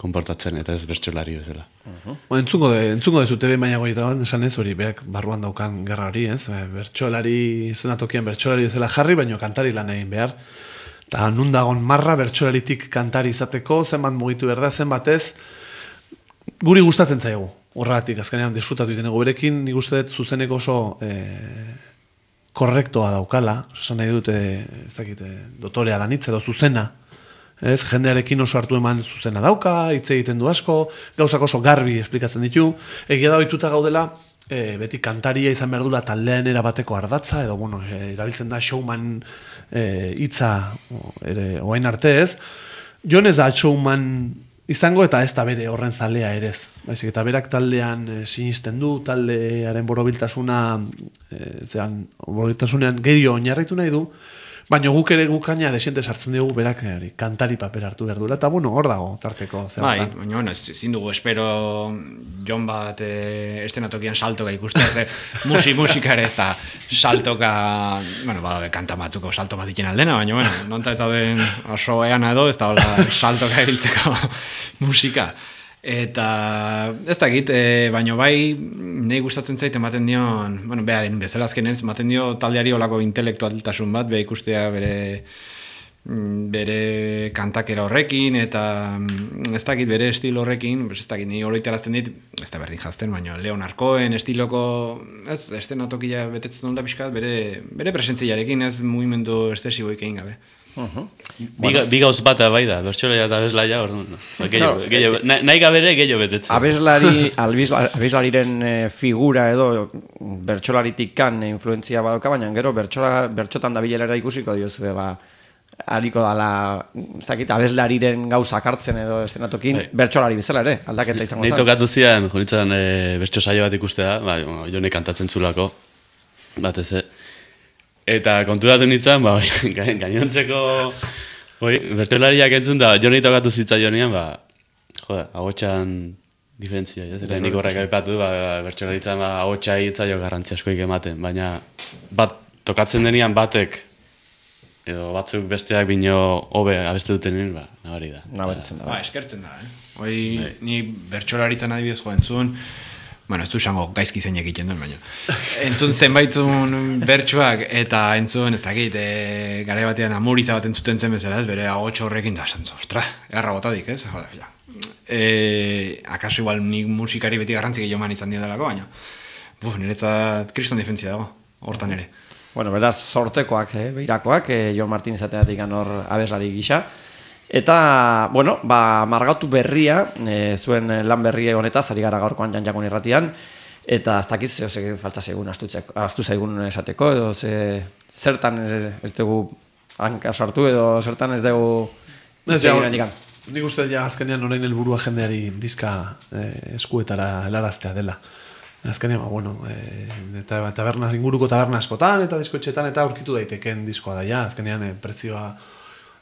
konportatzen eta ez bertsolari bezala. Uh-huh. Ba, entzungo de, entzungo dezu T V mainago egitean, esan ez hori, berak barruan daukan gerra hori, ez? Bertsolari, estenatokian bertsolari bezala jarri, baino kantari lan egin behar. Eta nun dagon marra bertsolaritik kantari izateko, zenbat mugitu behar da, zenbat ez, guri gustatzen zaigu. Horregatik, azkenean disfrutatu egiten dugu berekin, nik uste dut zuzeneko oso eh, korrektoa daukala, esan nahi dut, eh, ez dakit, eh, dotorea danitz edo zuzena, ez, jendearekin oso hartu eman zuzena dauka, hitz egiten du asko, gauzak oso garbi esplikatzen ditu, egia da ohituta gaudela, e, beti kantaria izan behar dula taldean erabateko ardatza, edo bueno, e, erabiltzen da showman hitza e, ere oain arte ez, Jon ez da showman izango eta ez da bere horren zalea ere ez. Baizik, eta berak taldean e, sinisten du, taldearen borobiltasuna, e, zean, borobiltasunean gehiago oinarritu nahi du, baina guk ere gukaina desiente sartzen dugu berak eri, kantari paper hartu behar duela, eta bueno, hor dago, tarteko. Bai, baina bueno, ezin dugu, espero Jon bat e, estenatokian saltoka ikustea, ze musi, musika ere ez da saltoka, bueno, badaude kanta batzuko salto bat iken aldena, baina bueno, nonta ez dauden oso eana edo, ez da hola saltoka eriltzeko musika. Eta ez da egit, e, baina bai nahi gustatzen zait ematen dion, bueno, beha den bezala azkenez, ematen dio taldeari olako intelektualtasun bat, beha ikustea bere bere kantakera horrekin, eta ez dakit bere estilo horrekin, ez dakit ni oroitarazten dit, ez da berdin jazten, baina Leon Arkoen estiloko, ez, estenatokia betetzen dut da pixkat, bere, bere presentziarekin, ez mugimendu estesiboik egin gabe. Uh-huh. Bueno. Bi gauz bata bai da, bertsolaria eta abeslaria, orduan. No, nahi gabere gehiago betetzen. Abeslari, abeslariren e, figura edo bertsolaritik kan influentzia badoka, baina gero bertsola, bertxotan da bilela ikusiko diozu, ba, hariko dala, zakit, abeslariren gauzak hartzen edo estenatokin, hey. Bertsolari bezala ere, aldaketa izango zen. Nei tokatu zian, jonitzen e, bertso saio bat ikustea, ba, Jone kantatzen zulako, batez, e. Eta konturatu nintzen, ba, gainontzeko bertsolariak entzun da, Joni tokatu zitza Jonian, ba, joda, agotxan diferentzia, ez? Eta nik horrek aipatu, ba, bertsolaritzan ba, agotxa hitzaio garrantzi askoik ematen, baina bat tokatzen denian batek, edo batzuk besteak bino hobe abeste dutenin, ba, nabari da. Nabaritzen da. Ba, eskertzen da, eh? Hoi, ni bertsolaritzan adibidez jo entzun, bueno, ez du esango gaizki zeinek egiten duen, baina. Entzun zenbaitzun bertsuak eta entzun, ez dakit, e, gara batean amuriza bat entzuten zen bezala, ez, bere agotxo horrekin da, zantzu, ostra, erra botadik, ez? Joda, ja. E, akaso igual nik musikari beti garrantzik egin man izan dio delako, baina buf, niretzat kriston difentzia dago, hortan ere. Bueno, beraz, sortekoak, eh, behirakoak, eh, Jon Martin izateatik hor abeslari gisa. Eta, bueno, ba, margatu berria, e, zuen lan berria honetaz, ari gara gaurkoan janjakun irratian, eta ez dakit, zeo ze falta zaigun astu zaigun esateko, edo ze, zertan ez, ez dugu hanka sartu, edo zertan ez dugu egin handikan. Nik uste ja azkenean orain helburua jendeari diska eh, eskuetara helaraztea dela. Azkenean, ba, bueno, e, eta taberna, inguruko taberna askotan, eta diskoetxetan, eta aurkitu daiteken diskoa da, ja, azkenean e, prezioa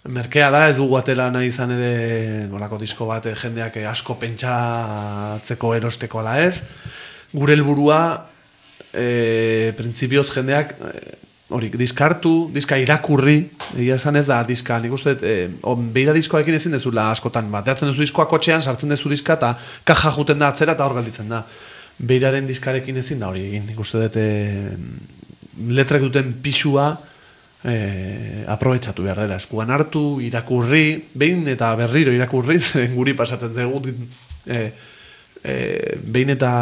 merkea da, ez dugu atera nahi izan ere olako disko bat jendeak asko pentsatzeko erosteko ala ez. gure helburua e, printzipioz jendeak e, hori, diskartu, diska irakurri, egia esan ez da diska, nik uste, e, beira diskoarekin ezin dezula askotan, bateatzen duzu diskoa kotxean, sartzen duzu diska, eta kaja juten da atzera, eta hor galditzen da. Beiraren diskarekin ezin da hori egin, nik uste dut, e, letrak duten pixua e, aprobetsatu behar dela, eskuan hartu, irakurri, behin eta berriro irakurri, zeren guri pasatzen dugu, e, e, behin eta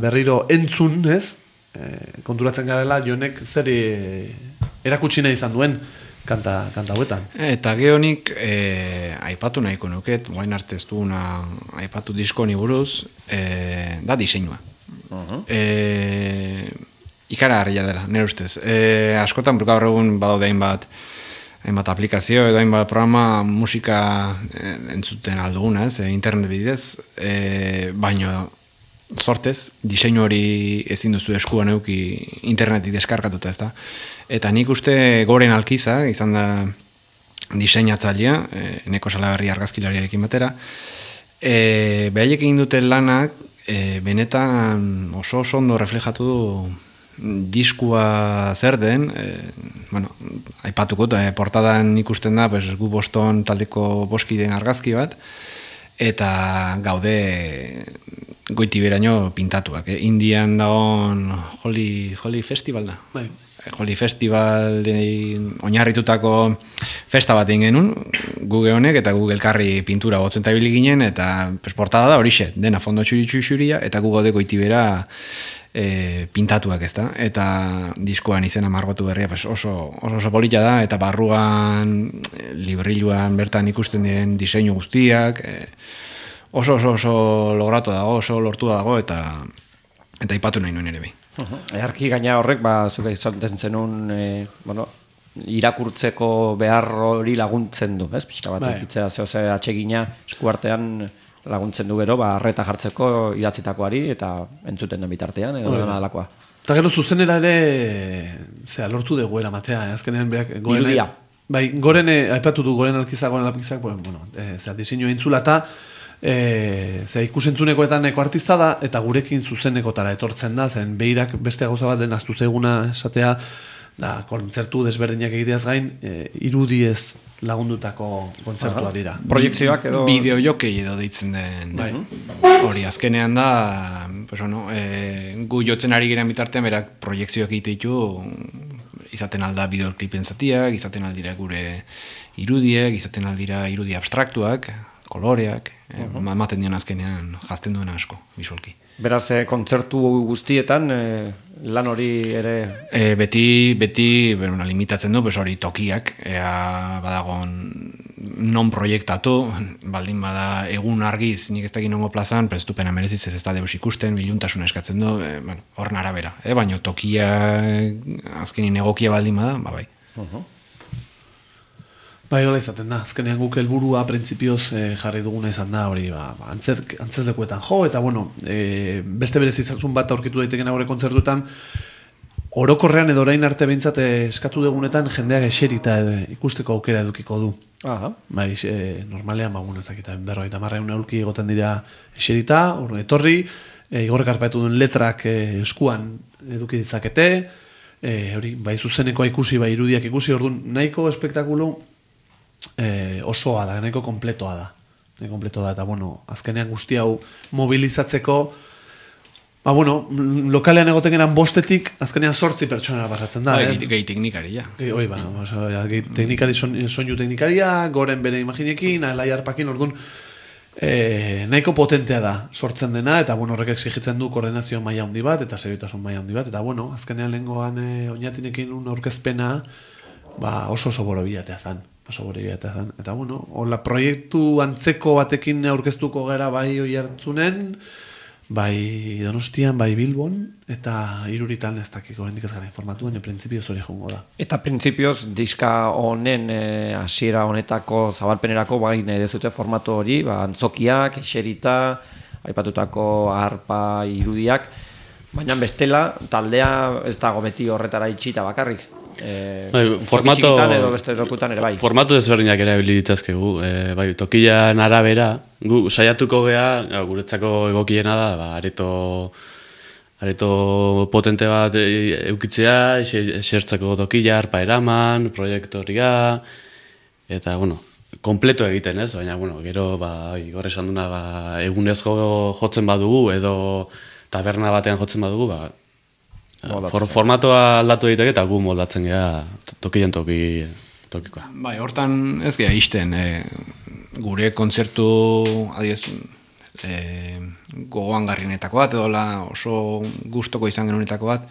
berriro entzun, ez? Konturatzen garela Jonek zer erakutsi nahi izan duen kanta, kanta hauetan. Eta geonik e, aipatu nahiko nuket, guain arte ez duguna aipatu disko ni buruz, e, da diseinua. Uh-huh. E, ikara harria dela, nire ustez. E, askotan gaur egun badaude hainbat hainbat aplikazio edo hainbat programa musika entzuten alduguna, ez, internet bidez, e, baino sortez, diseinu hori ezin duzu eskuan euki internetik deskargatuta, ez da. Eta nik uste Goren Alkiza, izan da diseinatzailea, e, Eneko Salaberri argazkilariarekin batera, e, behaiek egin duten lanak, e, benetan oso oso ondo reflejatu du diskua zer den, e, bueno, aipatuko, e, portadan ikusten da, pues, gu Boston taldeko boskideen argazki bat, eta gaude goitiberaino pintatuak. Eh? Indian dagoen Holy, Holy Festival da. Bai. Holy Festival oinarritutako festa bat egin genuen, Google honek eta Google Elkarri pintura gotzen tabili ginen, eta pues, portada da horixe, dena fondo txuri-txuri-txuria, eta gu gaude goitibera e, pintatuak ez da. Eta diskoan izena margotu berria pues, oso, oso, oso polita da, eta barruan, libriluan bertan ikusten diren diseinu guztiak, e, oso oso oso logratu dago, oso lortu dago, eta eta ipatu nahi nuen ere bai. Uh-huh. Earki gaina horrek, ba, zuke izanten zenun, e, bueno, irakurtzeko behar hori laguntzen du, ez? Pixka bat, egitzea zehose atsegina eskuartean laguntzen du gero, ba, arreta jartzeko idatzitakoari eta entzuten den bitartean, edo dena delakoa. Eta gero zuzenera ere, zera, lortu dugu eramatea, azkenean berak... Irudia. Bai, Goren, aipatu du Goren Alkiza, Goren Alkizak, bueno, e, zera, diseinu entzula eta E, zera, ikusentzuneko neko artista da, eta gurekin zuzenekotara etortzen da, zen behirak beste gauza bat den aztu zeguna esatea, da, kontzertu desberdinak egiteaz gain, e, irudiez lagundutako kontzertua dira. Proiektzioak edo... Bideojokei edo deitzen den. Bai. Hori, azkenean da, pues, bueno, e, gu jotzen ari giren bitartean, berak proiektzioak egite ditu, izaten alda bideoklipen zatiak, izaten aldira gure irudiek, izaten aldira irudi abstraktuak, koloreak, uh-huh. eh, ematen dion azkenean jazten duena asko, visualki. Beraz, eh, kontzertu guztietan eh, lan hori ere... E, beti, beti, bueno, limitatzen du, pues hori tokiak, ea badagon non proiektatu, baldin bada egun argiz, nik ez dakit nongo plazan, prestupena mereziz ez ez da deus ikusten, biluntasun eskatzen du, e, bueno, hor narabera, eh? Baina tokia azkenin egokia baldin bada, ba bai. Uh-huh. Bai, hola izaten da, azkenean guk helburua printzipioz e, jarri duguna izan da, hori, ba, antzer, antzezlekuetan jo, eta bueno, e, beste berez izazun bat aurkitu daiteken gure kontzertuetan, orokorrean edo orain arte behintzat eskatu dugunetan jendeak eserita e, ikusteko aukera edukiko du. Aha. Bai, e, normalean, ba, bueno, ez dakita, berrogeita marreun eulki egoten dira eserita, hor etorri, e, igorrek arpaitu duen letrak e, eskuan eduki ditzakete, e, hori, bai zuzenekoa ikusi, bai irudiak ikusi, orduan nahiko espektakulu, E, osoa da, nahiko kompletoa da. Nahiko kompletoa da, eta bueno, azkenean guzti hau mobilizatzeko, ba bueno, lokalean egoten geran bostetik, azkenean sortzi pertsonera pasatzen da. Ba, eh? Gehi teknikari, ja. Gehi, oi, ba, oso, ja, gehi teknikari, son, soinu teknikaria, Goren bere imaginekin, Alai Arpakin, orduan, e, nahiko potentea da sortzen dena, eta bueno, horrek exigitzen du koordinazio maila handi bat, eta seriotasun maila handi bat, eta bueno, azkenean lehengoan e, oinatinekin un aurkezpena, ba, oso oso borobilatea zan. Oso borobilatea zan. Eta bueno, hola proiektu antzeko batekin aurkeztuko gara bai Oiartzunen, bai Donostian, bai Bilbon, eta hiruritan ez dakiko hendik ez gara informatu, baina printzipioz hori jongo da. Eta printzipioz diska honen hasiera honetako zabalpenerako bai nahi dezute formatu hori, ba, antzokiak, eserita, aipatutako harpa irudiak, baina bestela taldea ez dago beti horretara itxita bakarrik. Eh, bai, formato edo beste dokutan ere bai. Formatu desberdinak ere erabili ditzazkegu, eh, bai, tokian arabera, gu saiatuko gea, guretzako egokiena da, ba, areto areto potente bat eukitzea, esertzeko tokia, arpa eraman, proiektoria, eta, bueno, kompleto egiten, ez? Baina, bueno, gero, ba, Igor esan duna, ba, egunez jo, jotzen badugu, edo taberna batean jotzen badugu, ba, for, formatoa aldatu daiteke eta gu moldatzen gea tokien toki, tokikoa. Bai, hortan ez gea isten, e, gure kontzertu, adiez, e, gogoan garrinetako bat, edo la oso gustoko izan genunetako bat,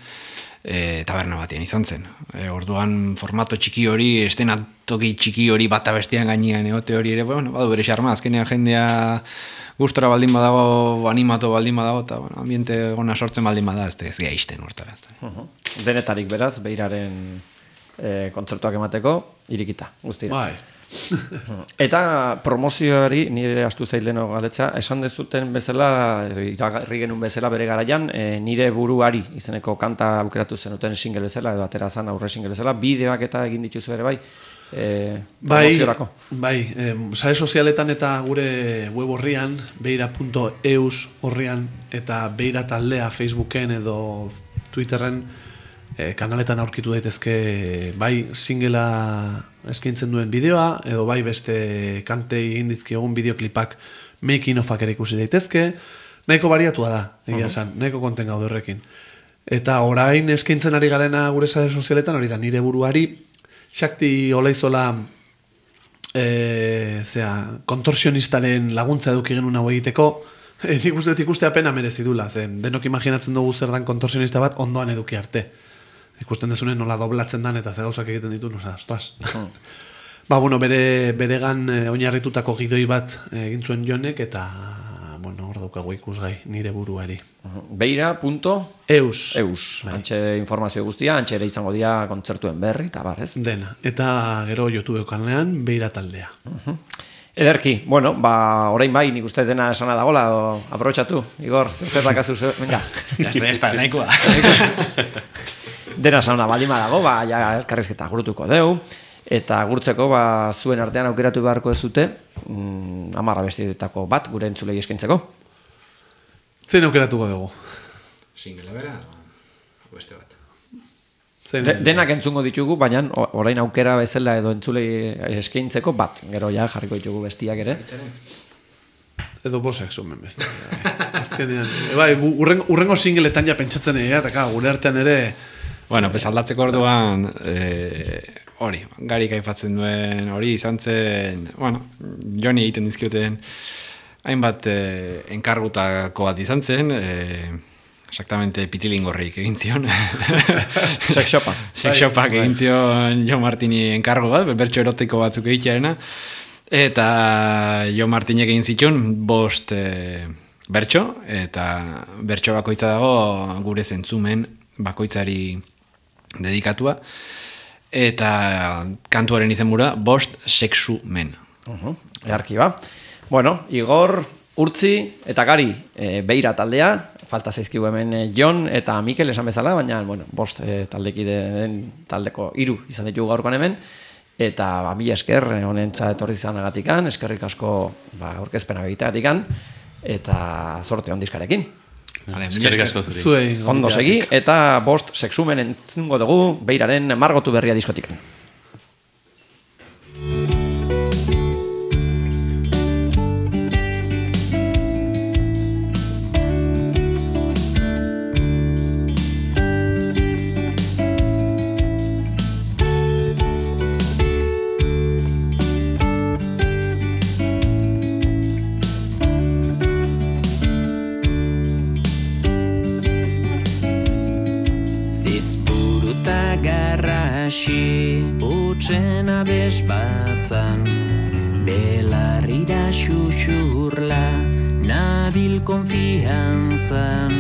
e, taberna batien izan zen. E, orduan formato txiki hori, estenatoki txiki hori bata bestian gainean egote hori ere, bueno, badu bere xarma, azkenean jendea gustora baldin badago, animatu baldin badago, eta bueno, ambiente gona sortzen baldin bada, ez ez gea isten hortara. Uh-huh. Denetarik beraz, Beiraren e, kontzertuak emateko, irikita, guztira. Bai. Eta promozioari nire astu zaileno galetza, esan dezuten bezala, iragarri genuen bezala bere garaian, e, nire buruari izeneko kanta aukeratu zenuten single bezala, edo atera zan aurre single bezala, bideoak eta egin dituzu ere bai, e, promoziorako. Bai, bai, sare sozialetan eta gure web horrian, beira punto eus horrian, eta Beira taldea Facebooken edo Twitterren, E, kanaletan aurkitu daitezke bai singela eskaintzen duen bideoa, edo bai beste kantei egin dizkiogun bideoklipak making ofak ere ikusi daitezke, nahiko bariatua da, egia esan, nahiko konten gaude horrekin. Eta orain eskaintzen ari garena gure sare sozialetan, hori da nire buruari, Xakti Olaizola e, zera, kontorsionistaren laguntza eduki genuen hau egiteko, e, nik uste dut ikustea pena merezi dula, zen denok imaginatzen dugu zer dan kontorsionista bat ondoan eduki arte. Ikusten dezunen nola doblatzen dan eta ze gauzak egiten ditu, no, ostras. Hmm. Ba, bueno, bere, beregan eh, oinarritutako gidoi bat egin zuen Jonek eta, bueno, hor daukagu ikusgai nire buruari. Beira punto eus. Eus. Antxe informazio guztia, antxe ere izango dira kontzertuen berri, eta bar, ez? Dena. Eta gero YouTube kanalean Beira taldea. Uh-huh. Ederki, bueno, ba, orain bai, nik uste dena esana dagoela, aprobetxatu, Igor, zer dakazu, venga. Ya está, ya está, nahikoa. Dena esana baldin badago, ba, ja, elkarrizketa gurutuko deu, eta gurtzeko, ba, zuen artean aukeratu beharko ez dute, mm, amarra bestietako bat, gure entzulei eskaintzeko. Zein aukeratuko dugu? Single bera, beste bat. De, denak entzungo ditugu, baina orain aukera bezala edo entzulei eskaintzeko bat, gero ja jarriko ditugu bestiak ere. Edo bosek zumen beste. Azkenean, bai, urrengo, urrengo singleetan ja pentsatzen ega, eta gure artean ere... Bueno, pues aldatzeko orduan, hori, eh, garik aipatzen duen, hori izan zen, bueno, Joni egiten dizkioten hainbat eh, enkargutako bat izan zen, eh, exactamente pitilingorrik egin zion. Sexopa. Sexopak egin zion Jo Martini enkargo bat, bertso erotiko batzuk egitearena, eta Jo Martinek egin zituen bost eh, bertso, eta bertso bakoitza dago gure zentzumen bakoitzari dedikatua, eta kantuaren izenbura bost sexu men. Uh-huh. Earki ba. Bueno, Igor, Urtzi eta Gari e, Beira taldea, falta zaizkigu hemen e, Jon eta Mikel esan bezala, baina bueno, bost e, taldekide den taldeko hiru izan ditugu gaurkoan hemen, eta ba, mila esker honentza etorri izanagatikan, eskerrik asko ba, aurkezpena begitagatikan, eta sorte on diskarekin. Vale, eskerrik asko zuri. Zuei, Ondo segi, eta bost sexumen entzungo dugu Beiraren margotu berria diskotikan. Utzen abez batzan, belarrira xuxurla, nabil konfiantzan,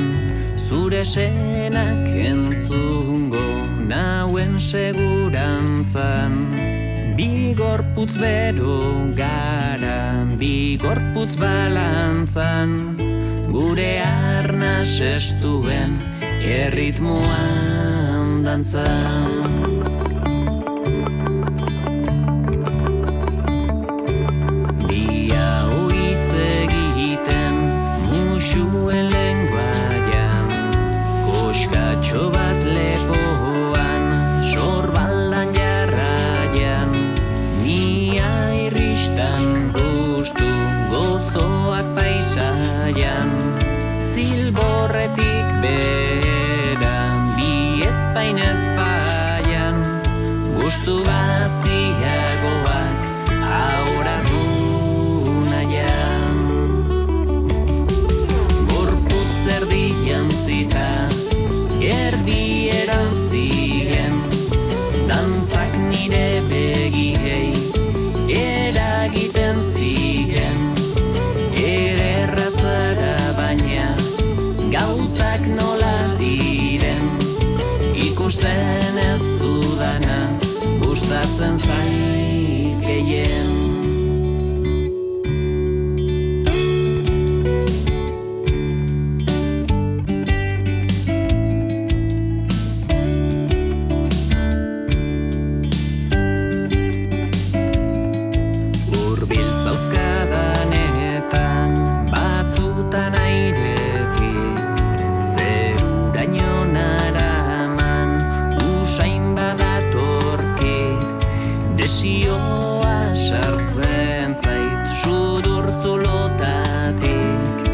zure senak entzungo, nauen segurantzan. Bi gorputz bero gara, bi gorputz balantzan, gure arnas estuen, erritmoan dantzan. gogoa sartzen zait sudurtzulotatik,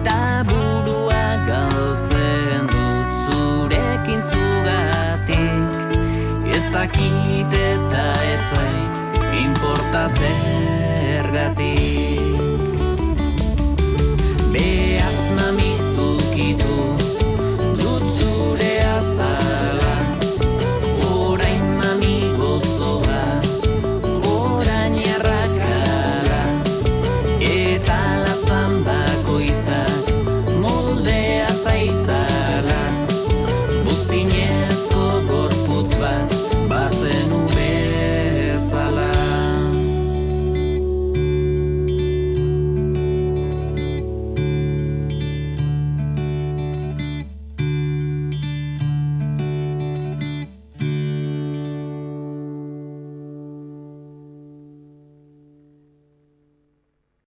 ta burua galtzen dut zurekin zugatik. Ez dakit eta ez zait inporta zergatik.